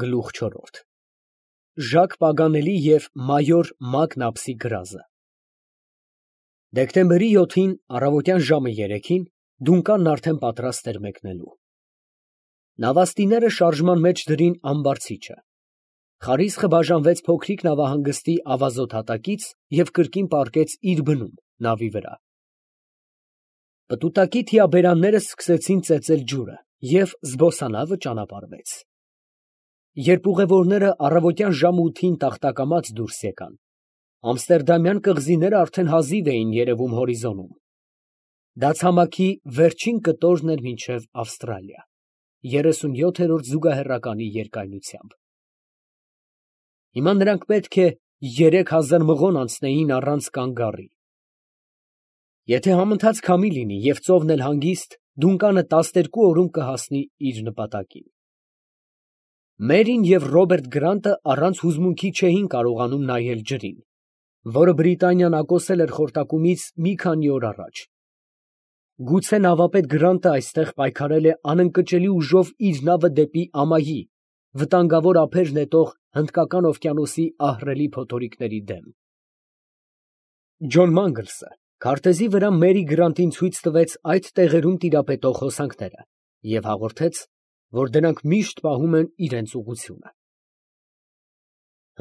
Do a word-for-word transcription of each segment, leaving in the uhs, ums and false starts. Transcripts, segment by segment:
Գլուխ չորրորդ Ժակ Պագանելի և մայոր Մակնապսի գրազը Դեկտեմբերի յոթին առավոտյան ժամը երեքին Դունկանն արդեն պատրաստ էր մեկնելու։ Նավաստիները շարժման մեջ դրին ամբարձիչը։ Խարիսխը բաժանվեց փոքրիկ նավահանգստի ավազոտ հատակից և կրկին պառկեց իր բնում նավի վրա։ Պտուտակի թիաբերանները սկսեցին ծեծել ջուրը, և զբոսանավը ճանապարհվեց։ Երբ ուղևորները առավոտյան ժամը ութին տախտակամած դուրս եկան, ամստերդամյան կղզիները արդեն հազիվ էին երևում հորիզոնում։ Դա ցամաքի վերջին կտորն էր մինչև Ավստրալիա, երեսունյոթերորդ զուգահեռականի երկայնությամբ։ Հիմա նրանք պետք է երեք հազար մղոն անցնեին առանց կանգ առի։ Եթե համընթաց քամի լինի և ծովն էլ հանգիստ, Դունկանը տասներկու օրում կհասնի իր նպատակին։ Մերին և Ռոբերտ Գրանտը առանց հուզմունքի չէին կարողանում նայել ջրին, որը Բրիտանիան ակոսել էր խորտակումից մի քանի օր առաջ։ Գուցե նավապետ Գրանտը այստեղ պայքարել է անընկճելի ուժով իր նավը դեպի ամայի, վտանգավոր ափեր նետող Հնդկական օվկիանոսի ահռելի փոթորիկների դեմ։ Ջոն Մանգլսը քարտեզի վրա Մերի Գրանտին ցույց տվեց այդ տեղերում տիրապետող հոսանքները և հաղորդեց, որ դրանք միշտ պահում են իրենց ուղղությունը։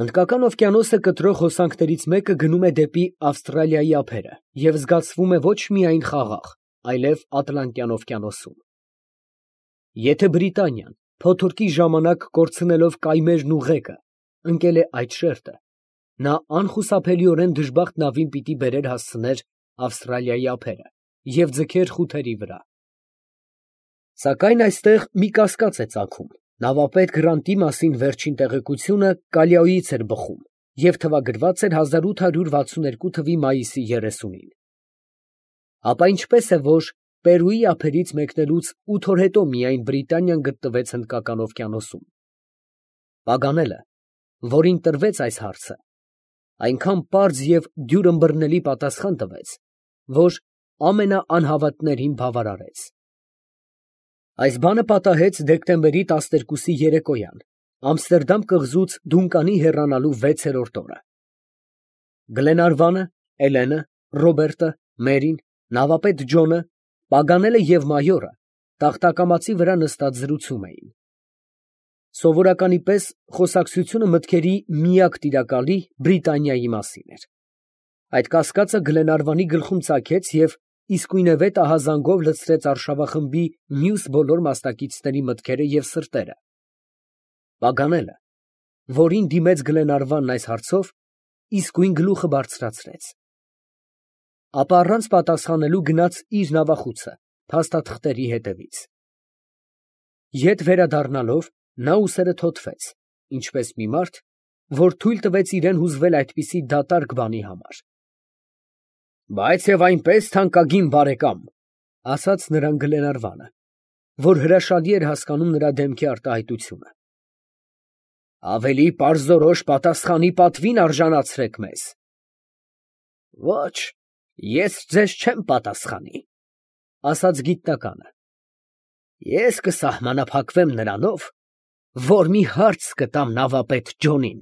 Հնդկական օվկիանոսը կտրող հոսանքներից մեկը գնում է դեպի Ավստրալիայի ափերը և զգացվում է ոչ միայն խաղաղ, այլև Ատլանտյան օվկիանոսում։ Եթե Բրիտանիան փոթորկի ժամանակ կորցնելով կայմերն ու ղեկը ընկել է այդ շերտը, նա անխուսափելիորեն դժբախտ նավին պիտի բերեր հասցներ Ավստրալիայի ափերը և ձգեր խութերի վրա։ Սակայն այստեղ մի կասկած է ծագում. նավապետ Գրանտի մասին վերջին տեղեկությունը Կալիոյից էր բխում և թվագրված էր հազար ութ հարյուր վաթսուններկու թվականի մայիսի երեսունին։ Ապա ինչպես է, որ Պերուի ափերից մեկնելուց ութ օր հետո միայն Բրիտանիան գտնվեց Հնդկական օվկիանոսում։ Պագանելը, որին տրվեց այս հարցը, այնքան պարզ և դյուրըմբռնելի պատասխան տվեց, որ ամենաանհավատներին բավարարեց։ Այս բանը պատահեց դեկտեմբերի տասներկուսի երեկոյան, Ամստերդամ կղզուց Դունկանի հեռանալու վեցերորդ օրը։ Գլենարվանը, Էլենը, Ռոբերտը, Մերին, նավապետ Ջոնը, Պագանելը և մայորը տախտակամածի վրա նստած զրուցում էին։ Սովորականի պես խոսակցությունը մտքերի միակ տիրակալի Բրիտանիայի մասին էր։ Այդ կասկածը Գլենարվանի գլխում ծագեց և իսկույնևեթ ահազանգով լցրեց արշավախմբի մյուս բոլոր մասնակիցների մտքերը և սրտերը։ Պագանելը, որին դիմեց Գլենարվանն այս հարցով, իսկույն գլուխը բարձրացրեց, ապա առանց պատասխանելու գնաց իր նավախուցը փաստաթղթերի հետևից։ Ետ վերադառնալով, նա ուսերը թոթվեց, ինչպես մի մարդ, որ թույլ տվեց իրան հուզվել այդպիսի դատարկ բանի համար։ Բայց և այնպես, թանկագին բարեկամ, ֊ ասաց նրան Գլենարվանը, որ հրաշալի էր հասկանում նրա դեմքի արտահայտությունը, ֊ ավելի պարզորոշ պատասխանի պատվին արժանացրեք մեզ։ Ոչ, ես ձեզ չեմ պատասխանի, ֊ ասաց գիտնականը, ես կսահմանափակվեմ նրանով, որ մի հարց կտամ նավապետ Ջոնին։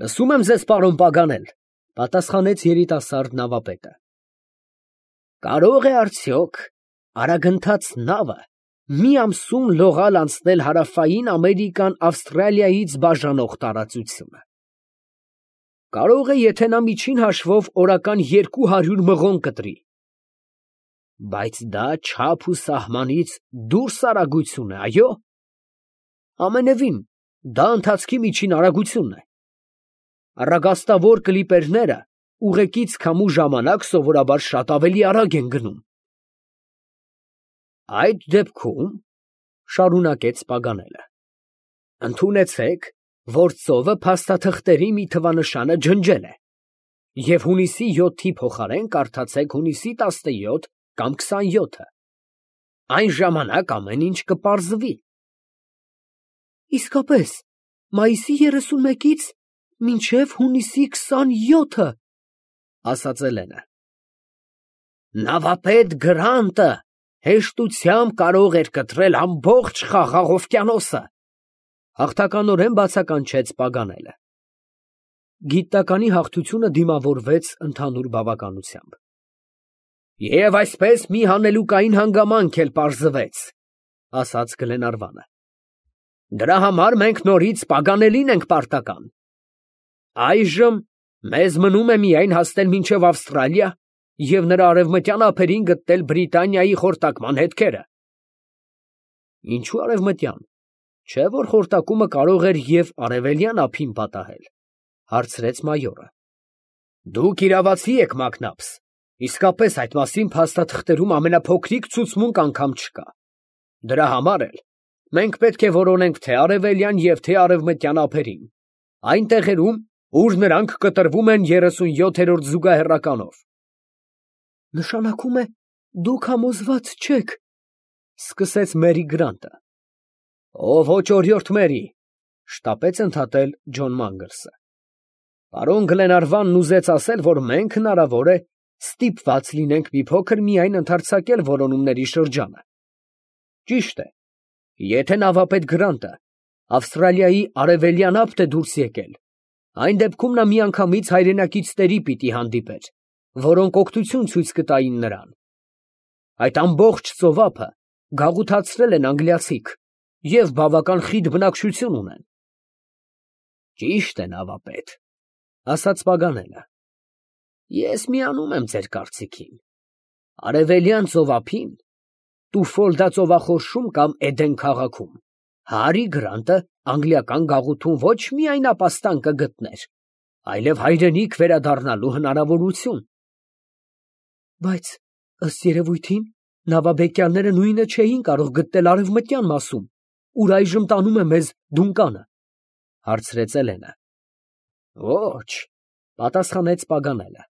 Լսում եմ ձեզ, պարոն Պագանել, ֊ պատասխանեց երիտասարդ նավապետը։ Կարո՞ղ է արդյոք արագընթաց նավը մի ամսում լողալ անցնել Հարավային Ամերիկան Ավստրալիայից բաժանող տարածությունը։ Կարող է, եթե նա միջին հաշվով օրական երկու հարյուր մղոն կտրի։ Բայց դա չափ ու սահմանից դուրս արագություն է, այո։ Ամենևին, դա ընթացքի միջին արագությունն է։ Առագաստավոր կլիպերները ուղեկից քամու ժամանակ սովորաբար շատ ավելի արագ են գնում։ Այդ դեպքում, ֊ շարունակեց Պագանելը, ֊ ընդունեցեք, որ ծովը փաստաթղթերի մի թվանշանը ջնջել է, և հունիսի յոթի փոխարեն կարդացեք հունիսի տասնյոթ կամ քսանյոթը, այն ժամանակ ամեն ինչ կպարզվի։ Իսկապես, մայիսի երեսունմեկից մինչև հունիսի քսանյոթը, ֊ ասաց Էլենը։ Նավապետ Գրանտը հեշտությամբ կարող էր կտրել ամբողջ Խաղաղ օվկիանոսը, Հաղթականորեն բացականչեց Պագանելը։ Գիտականի հաղթությունը դիմավորվեց ընդհանուր բավականությամբ։ Եվ այսպես մի հանելուկային հանգամանք էլ պարզվեց, ասաց Գլենարվանը։ Դրա համար մենք նորից Պագանելին ենք պարտական։ Այժմ մեզ մնում է միայն հասնել մինչև Ավստրալիա և նրա արևմտյան ափերին գտնել Բրիտանիայի խորտակման հետքերը։ Ինչու արևմտյան, չէ՞ որ խորտակումը կարող էր և արևելյան ափին պատահել, հարցրեց մայորը։ Դուք իրավացի եք, Մակնաբս, իսկապես այդ մասին փաստաթղթերում ամենափոքրիկ ցուցմունք անգամ չկա։ Դրա համար էլ մենք պետք է որոնենք թե արևելյան և թե արևմտյան ափերին, այն տեղերում, ուր նրանք կտրվում են երեսունյոթերորդ զուգահեռականով։ Նշանակում է, դուք համոզված չեք, սկսեց Մերի Գրանտը։ Ո ոչ օրիորդ Մերի, շտապեց ընդհատել Ջոն Մանգլսը։ Պարոն Գլենարվանն ուզեց ասել, որ մենք հնարավոր է ստիպված լինենք մի փոքր միայն ընդարձակել որոնումների շրջանը։ Ճիշտ է, եթե նավապետ Գրանտը Ավստրալիայի արևելյան ափ է դուրս եկել, այն դեպքում նա միանգամից հայրենակիցների պիտի հանդիպեր, որոնք օգնություն ցույց կտային նրան։ Այդ ամբողջ ծովափը գաղութացրել են անգլիացիք և բավական խիտ բնակչություն ունեն։ Ճիշտ է, նավապետ, ասաց Պագանելը։ Ես միանում եմ ձեր կարծիքին։ Արևելյան ծովափին, Տուֆոլդա ծովախորշում կամ Էդեն քաղաքում, Հարի Գրանտը անգլիական գաղութում ոչ միայն ապաստան կգտներ, այլև հայրենիք վերադառնալու հնարավորություն։ Բայց ըստ երևույթին նավաբեկյալները նույնը չէին կարող գտնել արևմտյան մասում, ուր այժմ տանում է մեզ Դունկանը, հարցրեց Էլենը։ Ոչ, պատասխանեց Պագանելը։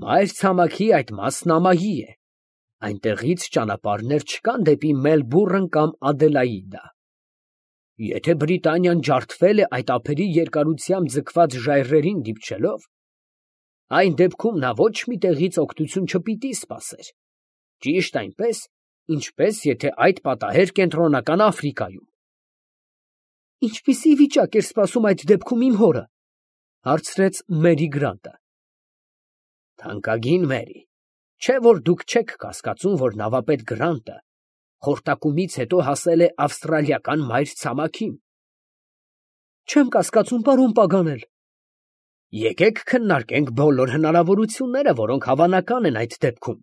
Մայրցամաքի այդ մասն ամայի է, այնտեղից ճանապարհներ չկան դեպի Մելբուրն կամ Ադելաիդա։ Եթե Բրիտանիան ջարդվել է այդ ափերի երկարությամբ ձգված ժայռերին դիպչելով, այն դեպքում նա ոչ մի տեղից օգնություն չպիտի սպասեր, ճիշտ այնպես, ինչպես եթե այդ պատահեր Կենտրոնական Աֆրիկայում։ Ինչպիսի վիճակ էր սպասում այդ դեպքում իմ հորը, հարցրեց Մերի Գրանտը։ Թանկագին Մերի, չէ՞ որ դուք չեք կասկածում, որ նավապետ Գրանտը խորտակումից հետո հասել է ավստրալիական մայրցամաքին։ Չեմ կասկածում, պարոն Պագանել։ Եկեք քննարկենք բոլոր հնարավորությունները, որոնք հավանական են այդ դեպքում,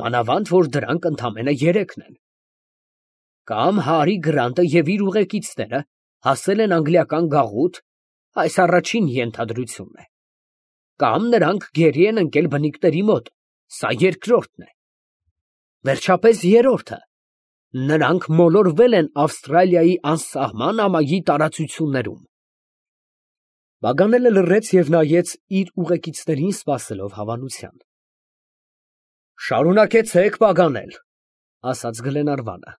մանավանդ որ դրանք ընդամենը երեքն են։ Կամ Հարի Գրանտը և իր ուղեկիցները հասել են անգլիական գաղութ, այս առաջին ենթադրությունն է։ Կամ նրանք գերի են ընկել բնիկների մոտ, սա երկրորդն է։ Վերջապես երրորդը, նրանք մոլորվել են Ավստրալիայի անսահման ամայի տարածություններում։ Պագանելը լռեց և նայեց իր ուղեկիցներին սպասելով հավանության։ Շարունակեցեք Պագանել, ասաց Գլենարվանը։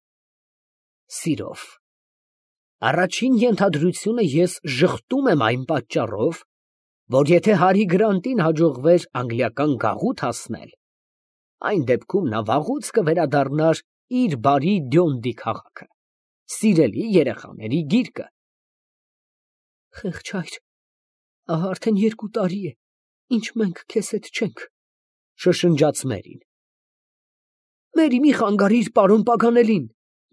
Սիրով։ Առաջին ենթադրությունը ես ժխտում եմ այն պատճառով, որ եթե Հարի Գրանտին հաջողվեր անգլիական գաղութ հասնել, այն դեպքում նա վաղուց կվերադառնար իր բարի Դյոնդի քաղաքը, սիրելի երեխաների գիրկը։ Խեղճ հայր, ահա արդեն երկու տարի է, ինչ մենք քեզ հետ չենք, շշնջաց Մերին։ Մերի, մի խանգարիր պարոն Պագանելին,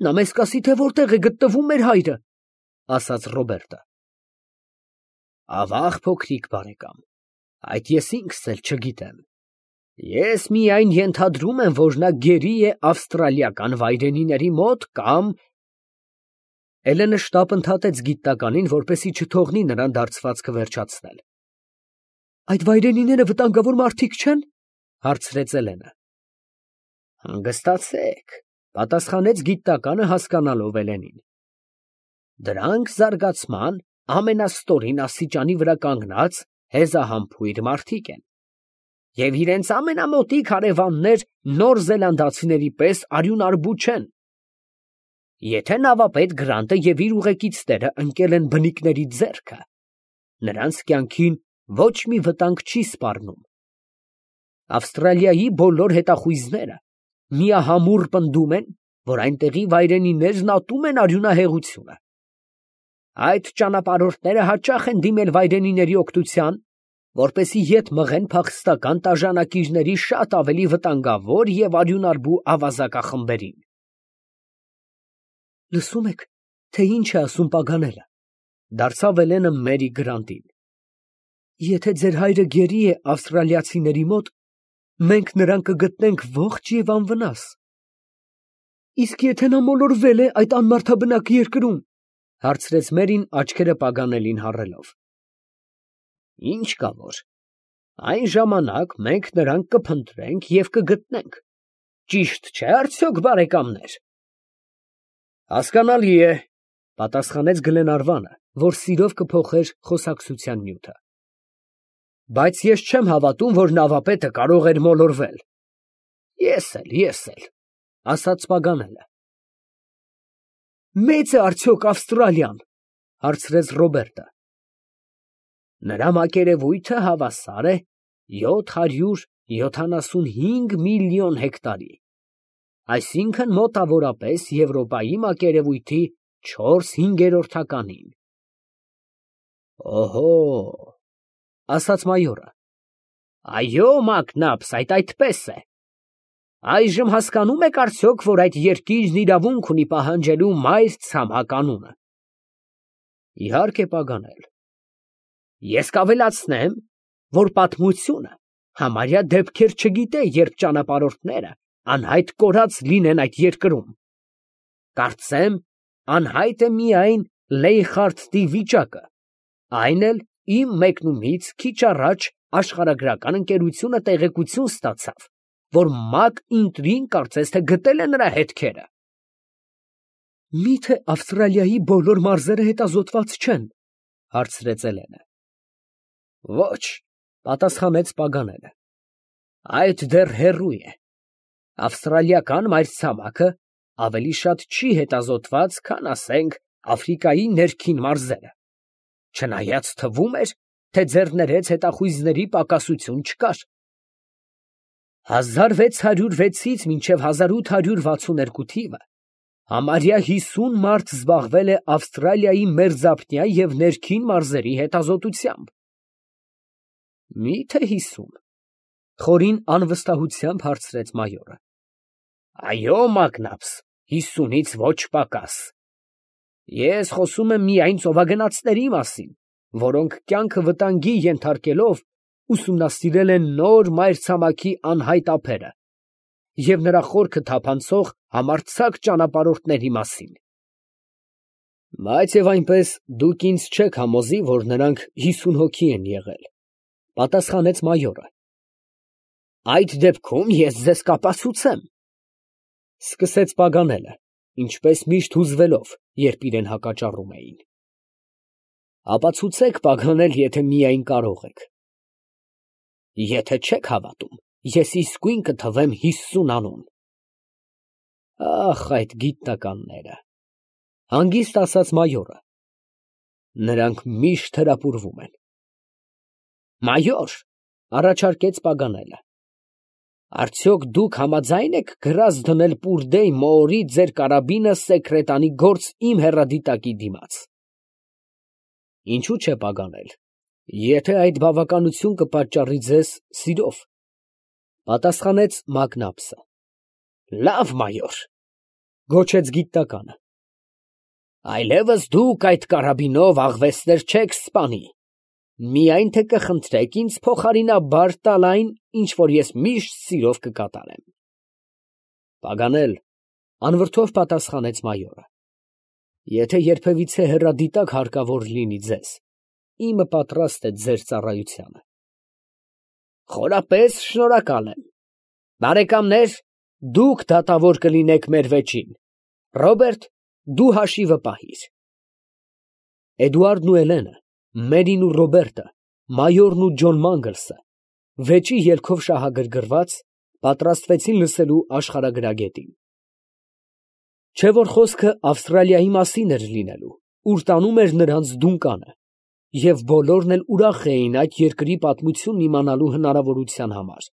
նա մեզ կասի, թե որտեղ է գտնվում մեր հայրը, ասաց Ռոբերտը։ Ավաղ փոքրիկ բարեկամ, այդ ես ինքս էլ չգիտեմ։ Ես միայն ենթադրում եմ, որ նա գերի է ավստրալիական վայրենիների մոտ կամ… Էլենը շտապ ընդհատեց գիտականին, որպեսզի չթողնի նրան դարձվածքը վերջացնել։ Այդ վայրենիները վտանգավոր մարդիկ չե՞ն, հարցրեց Էլենը։ Հանգստացեք, պատասխանեց գիտականը հասկանալով Էլենին։ Դրանք զարգացման ամենաստորին աստիճանի վրա կանգնած հեզահամբույր մարդիկ են, և իրենց ամենամոտիկ հարևաններ նոր զելանդացիների պես արյունարբու չեն։ Եթե նավապետ Գրանտը և իր ուղեկիցները ընկել են բնիկների ձեռքը, նրանց կյանքին ոչ մի վտանգ չի սպառնում։ Ավստրալիայի բոլոր հետախույզները միահամուռ պնդում են, որ այնտեղի վայրենիներն ատում են արյունահեղությունը։ Այդ ճանապարհորդները հաճախ են դիմել վայրենիների օգնության, որպեսզի ետ մղեն փախստական տաժանակիրների շատ ավելի վտանգավոր և արյունարբու ավազակախմբերին։ Լսում եք, թե ինչ է ասում Պագանելը, դարձավ Էլենը Մերի Գրանտին։ Եթե ձեր հայրը գերի է ավստրալիացիների մոտ, մենք նրան կգտնենք ողջ և անվնաս։ Իսկ եթե նա մոլորվել է այդ անմարդաբնակ երկրում, հարցրեց Մերին աչքերը Պագանելին հառելով։ Ինչ կա որ, այն ժամանակ մենք նրան կփնտրենք և կգտնենք, ճիշտ չէ՞ արդյոք, բարեկամներ։ Հասկանալի է, պատասխանեց Գլենարվանը, որ սիրով կփոխեր խոսակցության նյութը։ Բայց ես չեմ հավատում, որ նավապետը կարող էր մոլորվել։ Ես էլ, ես էլ, ասաց Պագանելը։ Մե՞ծ է արդյոք Ավստրալիան, հարցրեց Ռոբերտը։ Նրա մակերևույթը հավասար է յոթ հարյուր յոթանասունհինգ միլիոն հեկտարի, այսինքն մոտավորապես Եվրոպայի մակերևույթի չորս հինգերորդականին։ Օհո, ասաց մայորը։ Այո, մակնաբս, այդ այդպես է։ Այժմ հասկանում եք արդյոք, որ այդ երկիրն իրավունք ունի պահանջելու մայր ցամաք անունը։ Իհարկե, Պագանել։ Ես կավելացնեմ, որ պատմությունը համարյա դեպքեր չգիտե, երբ ճանապարհորդները անհայտ կորած լինեն այդ երկրում։ Կարծեմ, անհայտ է միայն Լեյխարդտի վիճակը, այն էլ իմ մեկնումից քիչ առաջ աշխարհագրական ընկերությունը տեղեկություն ստացավ, որ Մակ Ինտրին կարծես թե գտել է նրա հետքերը։ Միթե Ավստրալիայի բոլոր մարզերը հետազոտված չեն, հարցրեց Էլենը։ Ոչ, պատասխանեց Պագանելը։ Այդ դեռ հեռու է։ Ավստրալիական մայրցամաքը ավելի շատ չի հետազոտված, քան, ասենք, Աֆրիկայի ներքին մարզերը, չնայած թվում էր, թե ձեռներեց հետախույզների պակասություն չկար։ հազար վեց հարյուր վեցից մինչև հազար ութ հարյուր վաթսունհինգ թիվը համարյա հիսուն մարդ զբաղվել է Ավստրալիայի մերձափնյա և ներքին մարզերի հետազոտությամբ։ Մի՞թե հիսուն, խորին անվստահությամբ հարցրեց մայորը։ Այո, մակնաբս, հիսունից ոչ պակաս։ Ես խոսում եմ միայն ծովագնացների մասին, որոնք կյանքը վտանգի ենթարկելով ուսումնասիրել են նոր մայրցամաքի անհայտ ափերը և նրա խորքը թափանցող համարձակ ճանապարհորդների մասին։ Բայց և այնպես դուք ինձ չեք համոզի, որ նրանք հիսուն հոգի են եղել, պատասխանեց մայորը։ Այդ դեպքում ես ձեզ կապացուցեմ, սկսեց Պագանելը, ինչպես միշտ հուզվելով, երբ իրեն հակաճառում էին։ Ապացուցեք, Պագանել, եթե միայն կարող եք։ Եթե չեք հավատում, ես իսկույն կթվեմ հիսուն անուն։ Ախ, այդ գիտնականները, հանգիստ ասաց մայորը։ Նրանք միշտ հրապուրվում են։ Մայոր, առաջարկեց Պագանելը, արդյոք դուք համաձայն եք գրազ դնել Պուրդեյ Մոորի ձեր կարաբինը սեկրետանի գործ իմ հեռադիտակի դիմաց։ Ինչու՞ չէ, Պագանել, եթե այդ բավականություն կպատճառի ձեզ սիրով, պատասխանեց Մակնաբսը։ Լավ, մայոր, գոչեց գիտնականը։ Այլևս դուք այդ կարաբինով աղվեսներ չեք սպանի, միայն թե կխնդրեք ինձ փոխարինաբար տալ այն, ինչ որ ես միշտ սիրով կկատարեմ։ Պագանել, անվրդով պատասխանեց մայորը։ Եթե երբևիցե հեռադիտակ հարկավոր լինի ձեզ, իմը պատրաստ է ձեր ծառայությանը։ Խորապես շնորհակալ եմ։ Բարեկամներ, դուք դատավոր կլինեք մեր վեճին։ Ռոբերտ, դու հաշիվը պահիր։ Էդուարդն ու Էլենը, Մերին ու Ռոբերտը, մայորն ու Ջոն Մանգլսը, վեճի ելքով շահագրգռված, պատրաստվեցին լսելու աշխարհագրագետին։ Չէ որ խոսքը Ավստրալիայի մասին էր լինելու, ուր տանում էր նրանց դունկանը, և բոլորն էլ ուրախ էին այդ երկրի պատմությունն իմանալու հնարավորության համար։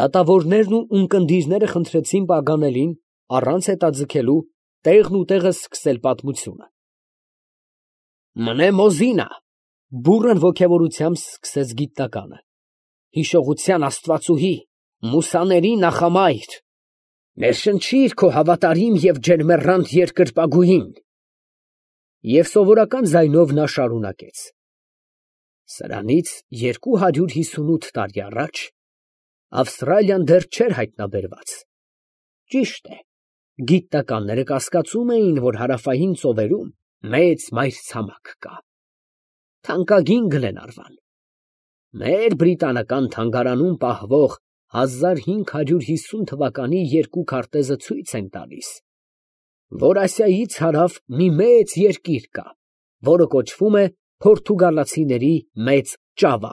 Դատավորներն ու ունկնդիրները խնդրեցին Պագանելին, առանց հետաձգելու, տեղն ու տեղը սկսել պատմությունը։ Մնեմոզինա, բուրըն ոգևորությամբ սկսեց գիտնականը։ Հիշողության աստվածուհի, մուսաների նախամայր, ներշնչիր քո հավատարիմ և ջերմեռանդ երկրպագուին։ Եվ սովորական ձայնով նա շարունակեց. Սրանից երկու հարյուր հիսունութ տարի առաջ Ավստրալիան դեռ չէր հայտնաբերված։ Ճիշտ է, գիտնականները կասկածում էին, որ հարավային ծովերում մեծ մայրցամաք կա։ Թանկագին Գլենարվան մեր բրիտանական թանգարանում պահվող հազար հինգ հարյուր հիսուն թվականի երկու քարտեզը ցույց են տալիս, որ Ասիայից հարավ մի մեծ երկիր կա, որը կոչվում է Պորտուգալացիների Մեծ Ճավա։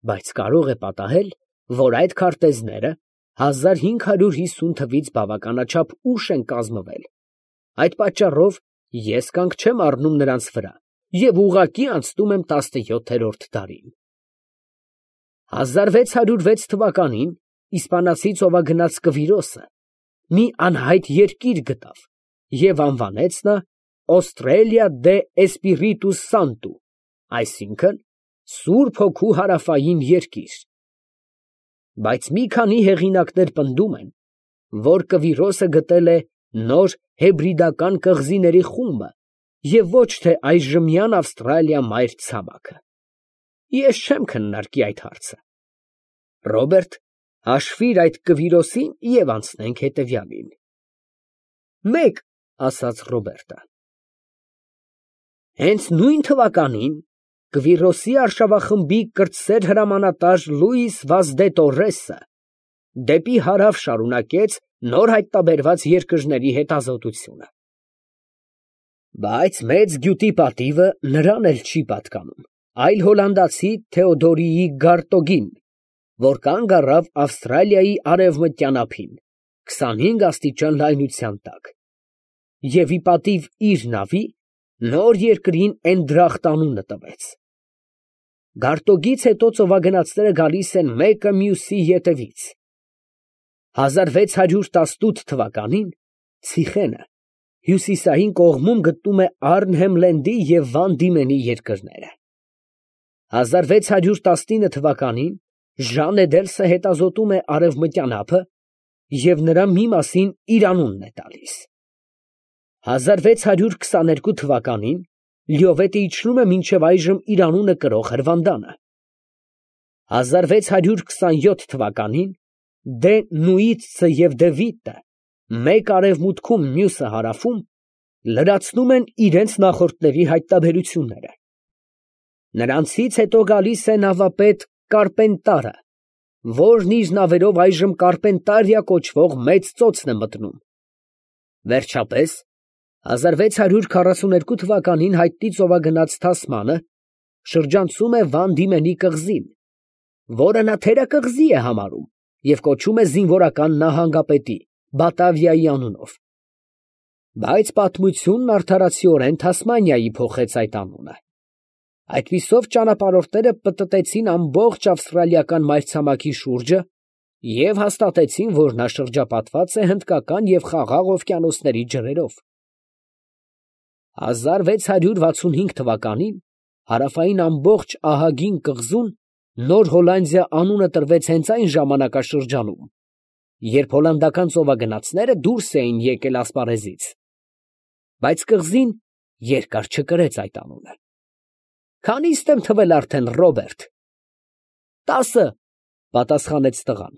Բայց կարող է պատահել, որ այդ քարտեզները հազար հինգ հարյուր հիսուն թվից բավականաչափ ուշ են կազմվել, այդ պատճառով ես կանգ չեմ առնում նրանց վրա և ուղղակի անցնում եմ տասնյոթերորդ դարին։ հազար վեց հարյուր վեց թվականին իսպանացի ծովագնաց Կվիրոսը մի անհայտ երկիր գտավ և անվանեց նա Australia de Espiritu Santo, այսինքն Սուրբ Հոգու հարավային երկիր։ Բայց մի քանի հեղինակներ պնդում են, որ Կվիրոսը գտել է նոր հեբրիդական կղզիների խումբը և ոչ թե այժմյան Ավստրալիա մայրցամաքը։ Ես չեմ քննարկի այդ հարցը։ Ռոբերտ, հաշվիր այդ Կվիրոսին և անցնենք հետևյալին։ Մեկ, ասաց Ռոբերտը։ Հենց նույն թվականին Կվիրոսի արշավախմբի կրտսեր հրամանատար Լուիս Վազ դե Տորրեսը դեպի հարավ շարունակեց նոր հայտնաբերված երկրների հետազոտությունը։ Բայց մեծ գյուտի պատիվը նրան էլ չի պատկանում, այլ հոլանդացի Թեոդորիի Գարտոգին, որ կանգ առավ Ավստրալիայի արևմտյան ափին, քսանհինգ աստիճան լայնության տակ, և ի պատիվ իր նավի նոր երկրին Էնդրախտ անունը տվեց։ Գարտոգից հետո ծովագնացները գալիս են մեկը մյուսի ետևից։ հազար վեց հարյուր տասնութ թվականին Ցիխենը հյուսիսային կողմում գտնում է Արնհեմլենդի և Վան Դիմենի երկրները։ հազար վեց հարյուր տասնինը թվականին Ժան Էդելսը հետազոտում է արևմտյան ափը և նրա մի մասին իր անունն է տալիս։ հազար վեց հարյուր քսաներկու թվականին Լյովետը իջնում է մինչև այժմ իր անունը կրող Հրվանդանը։ հազար վեց հարյուր քսանյոթ թվականին Դե Նուիցը և Դե Վիտը մեկ արևմուտքում, մյուսը հարավում լրացնում են իրենց նախորդների հայտնաբերությունները։ Նրանցից հետո գալիս է նավապետ Կարպենտարը, որն իր նավերով այժմ Կարպենտարիա կոչվող մեծ ծոցն է մտնում։ Վերջապես, հազար վեց հարյուր քառասուներկու թվականին հայտնի ծովագնաց Թասմանը շրջանցում է Վան Դիմենի կղզին, որը նա թերակղզի է համարում և կոչում է զինվորական նահանգապետի Բատավիայի անունով։ Բայց պատմությունն արդարացիորեն Թասմանիայի փոխեց այդ անունը։ Այդպիսով ճանապարհորդները պտտեցին ամբողջ ավստրալիական մայրցամաքի շուրջը և հաստատեցին, որ նա շրջապատված է Հնդկական և Խաղաղ օվկիանոսների ջրերով։ հազար վեց հարյուր վաթսունհինգ թվականին հարավային ամբողջ ահագին կղզուն Նոր Հոլանդիա անունը տրվեց հենց այն ժամանակաշրջանում, երբ հոլանդական ծովագնացները դուրս էին եկել ասպարեզից, բայց կղզին երկար չկրեց այդ անունը։ Քանի՞ստ եմ թվել արդեն, Ռոբերտ։ Տասը, պատասխանեց տղան։